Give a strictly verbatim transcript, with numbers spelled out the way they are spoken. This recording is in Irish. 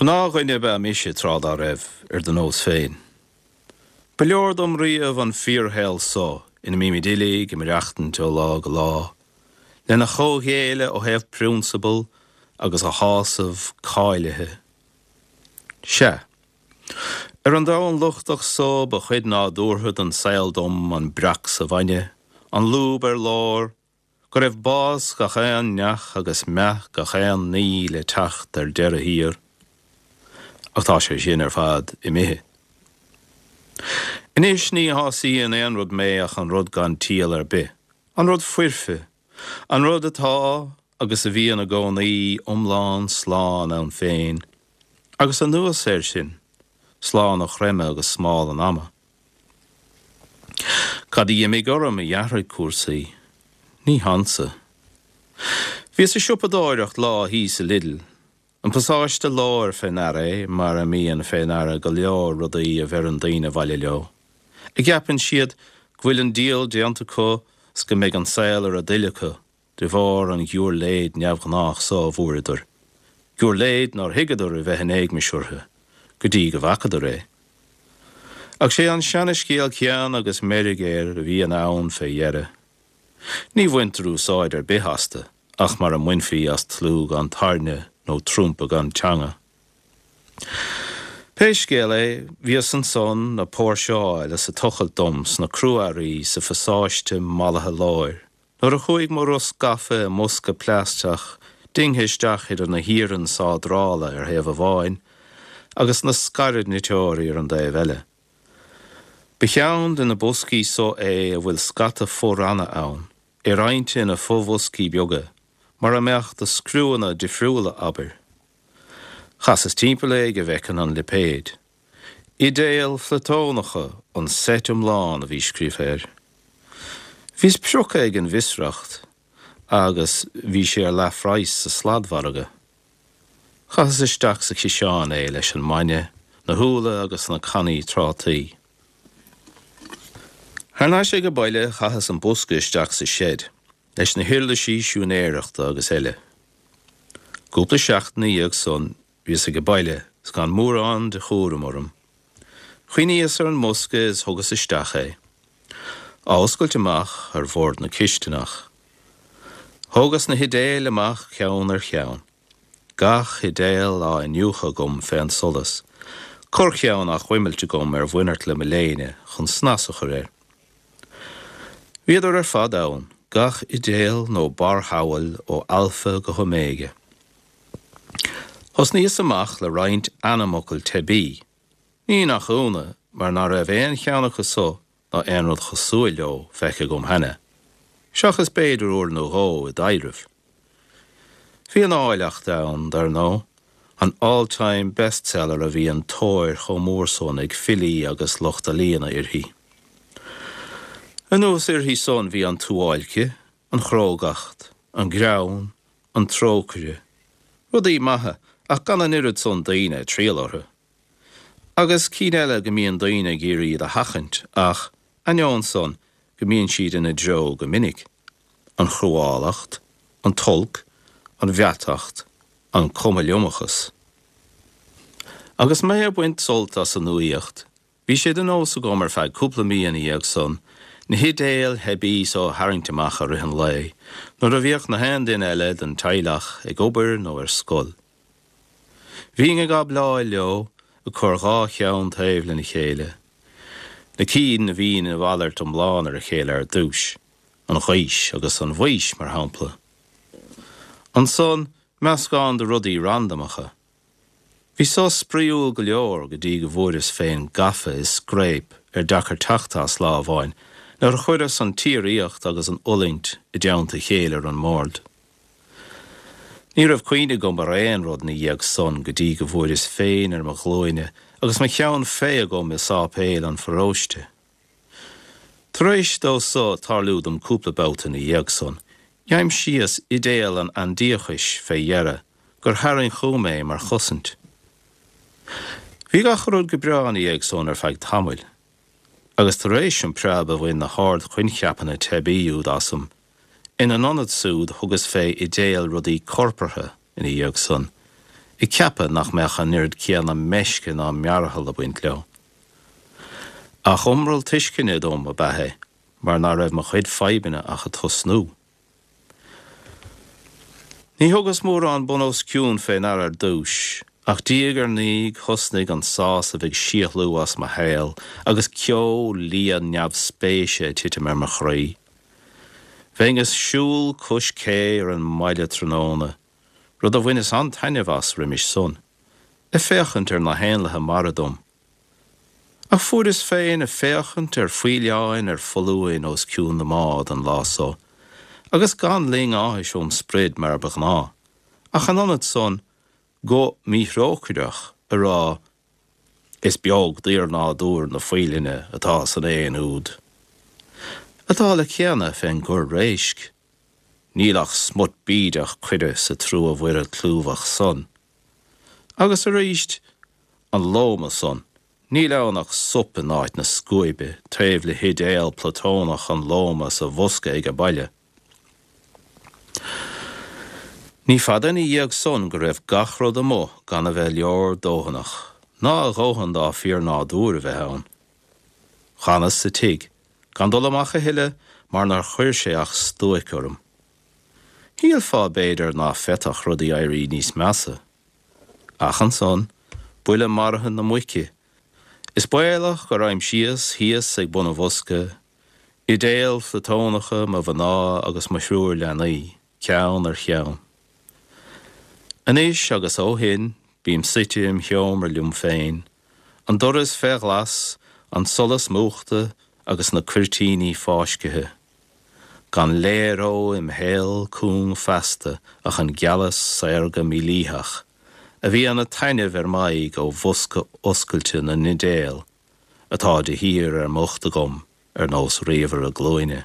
Gnáthdhuine ab ea mise tráth dá raibh, ar do nós féin. Ba leor dom riamh an fíorshaol so ina mbímid uilig ag maireachtaint ó lá go lá, lena chomhghéilleadh ó thaobh prionsabal agus a shásamh cáilithe. Sea. Ar an domhan lochtach so ba chuid nádúrtha den saol dom an breac sa bhainne, an lúb ar lár, go raibh bás gach aon neach agus meath gach aon ní le teacht ar deireadh thiar. Ach tá sé sin ar fad imithe. Anois ní shásaíonn aon rud mé ach an rud gan ciall ar bith, an rud foirfe, an rud atá agus a bhíonn i gcónaí iomlán slán ann féin, agus anuas air sin, slán ó chreimeadh agus smál an ama. Cad a d'imigh orm a d'athraigh cúrsaí? Ní hansa. Bhíos ag siopadóireacht lá thíos i Lidl, an pasáiste láir fé ndeara é mar a mbíonn fé ndeara go leor rudaí a bheireann daoine abhaile leo, a gceapann siad go bhfuil an díol déanta acu 's go mbeidh an saol ar a dtoil acu de bharr an ghiúirléid neamhghnách so a bhfuaireadar, giúirléid nár thuigeadar a bheith in éagmais orthu go dtí go bhfacadar é. Ach sé an seanascéal céanna agus meirg air a bhíonn ann fé dheireadh. Ní bhaintear úsáid ar bith astu ach mar a mbainfí as tlú gan tairne nó trumpa gan teanga. Pé scéal é, bhíos ansan ag póirseáil is ag tochailt dom sna crua-earraí sa phasáiste mallaithe láir, nuair a chuaigh mo rosc gafa i mbosca plaisteach dingthe isteach idir na hiarainn sádrála ar thaobh amháin agus na scairdniteoirí ar an dtaobh eile. Ba cheann de na boscaí so é a bhfuil scata fo-ranna ann, é roinnte ina fo-bhoscaí beaga, mar a mbeadh do scriúanna difriúla, abair. Chasas timpeall é go bhfeicfinn an lipéad. Idéil Phlatónacha an seit iomlán a bhí scríofa air. Bhíos prioctha ag an bhfiosracht agus bhí sé ar leathphraghas sa sladmhargadh. Chaitheas isteach sa chiseán é leis an mbainne, na húlla agus na cannaí trátaí. Thar n-ais ag baile chaitheas an bosca isteach sa seid, leis na huirlisí siúinéireachta agus eile. Cúpla seachtain ina dhiaidh san bhíos ag baile 's gan mórán de chúram orm. Chuimhníos ar an mbosca is thugas isteach é. Á oscailt amach ar bhord na cisteanach. Thógas na hidéil amach ceann ar cheann. Gach idéal á iniúchadh agam fén solas. Corrcheann á chuimilt agam ar mhuineart le mo léine chun snas a chur air. Bhíodar ar fad ann, gach idéal nó barrshamhail ó alfa go hóiméige. Thosnaíos amach le roinnt ainmfhocal teibí. Ní nach ionadh mar ná raibh aon cheann acu so ná aon rud cosúil leo feicthe agam cheana, seachas b'fhéidir uair nó dhó i dtaibhreamh. Bhí an áilleacht ann, dar ndóigh, an all-time bestseller a bhí an tóir chomh mór san ag filí agus lucht ealaíona uirthi. Anuas uirthi san bhí an tsuáilce, an chrógacht, an greann, an trócaire, rudaí maithe ach gan an oiread san daoine ag triall orthu. Agus cinn eile go mbíonn daoine ag iarraidh iad a sheachaint ach, ainneoin san, go mbíonn siad ina dtreo go minic, an chruálacht, an t-olc, an mheatacht, an cuma-liomachas. Agus mé ag baint sult as an nuaíocht, bhí sé de nós agam ar feadh cúpla mí ina dhiaidh san na hidéil theibí so a tharraingt amach i rith an lae nuair a bhíodh na haon duine eile den teaghlach ag obair nó ar scoil. Bhínn ag abláil leo, ag cur dhá cheann taobh lena chéile, na cinn a bhí ina mhalairt iomlán ar a chéile ar dtús, an ghaois agus an bhaois, mar shampla. Ansan, meascán de rudaí randamacha. Bhí so spraíúil go leor go dtí go bhfuaireas féin gafa i scréip ar deacair teacht as lá amháin nuair a chuireas an tsíoraíocht agus an fhulaingt i dteannta a chéile ar an mbord. Ní raibh cuimhne agam ar aon rud ina dhiaidh san go dtí go bhfuaireas féin ar mo ghlúine agus mo cheann fé agam i sáipéal an pharóiste. Tar éis dó so tarlú dom cúpla babhta ina dhiaidh san, d'aimsíos idéal an aindiachais fé dheireadh gur tharraing chugam é mar chosaint. Bhí gach rud go breá ina dhiaidh san ar feadh tamaill, agus tar éis an preab a bhain na hardchoincheapanna teibí úd asam, ina n-ionad súd thugas fé idéal rudaí corpartha ina dhiaidh san, ag ceapadh nach mbeadh an oiread céanna meisce ná mearathal ag baint leo. Ach iomrall tuisceana dom ab ea é, mar ná raibh mo chuid fadhbanna ach ag tosnú. Ní thugas mórán bun os cionn fé ndeara ar dtús, ach diaidh ar ndiaidh thosnaigh an sásamh ag síothlú as mo shaol agus ceo liath neamhspéise ag titim ar mo chroí. Bheinn ag siúl cois cé ar an mbaile tráthnóna, rud a bhaineas an-taitneamh as roimis san, ag féachaint ar na héanlaithe mara dom. Ach fuaireas féin ag féachaint ar faoileáin ar foluain os cionn na mbád an lá so, agus gan ling áthais óm sprid mar ba ghnáth, ach in ionad san, guth míthrócaireach ag rá, Is beag d'fhíornádúr na faoileáine atá san éan úd. An dála céanna fén gcorr réisc. Níl ach smut bídeach coire sa trua Mhuire clúmhach san. Agus arís, an lóma san, níl ann ach sop in áit na scuaibe taobh le hidéal Platónach an lóma sa bhosca age baile. Ní fada ina dhiaidh san go raibh gach rud amuigh gan a bheith leordhóthanach, ná a dhóthain dá fíornádúr a bheith ann. D'fhanas sa tigh, gan dul amach a thuilleadh mar nár chuir sé ach stuaic orm. Shílfeá b'fhéidir ná féadfadh rudaí éirí níos measa. Ach ansan, buille maraithe na muice. Is baolach gur aimsíos thíos ag bun an bhosca, idéil Phlatónacha mo mhná agus mo thriúr leanaí, ceann ar cheann. Anois agus ó shin, bím suite im sheomra liom féin, an doras fé ghlas, an solas múchta agus na cuirtíní fáiscthe. Gan léaró im shaol cúng feasta ach an gealas saorga mílítheach, a bhíonn ag taitneamh ar m'aghaidh ó bhosca oscailte na n-idéal, atá de shíor ar m'ucht agam ar nós ríomhaire glúine.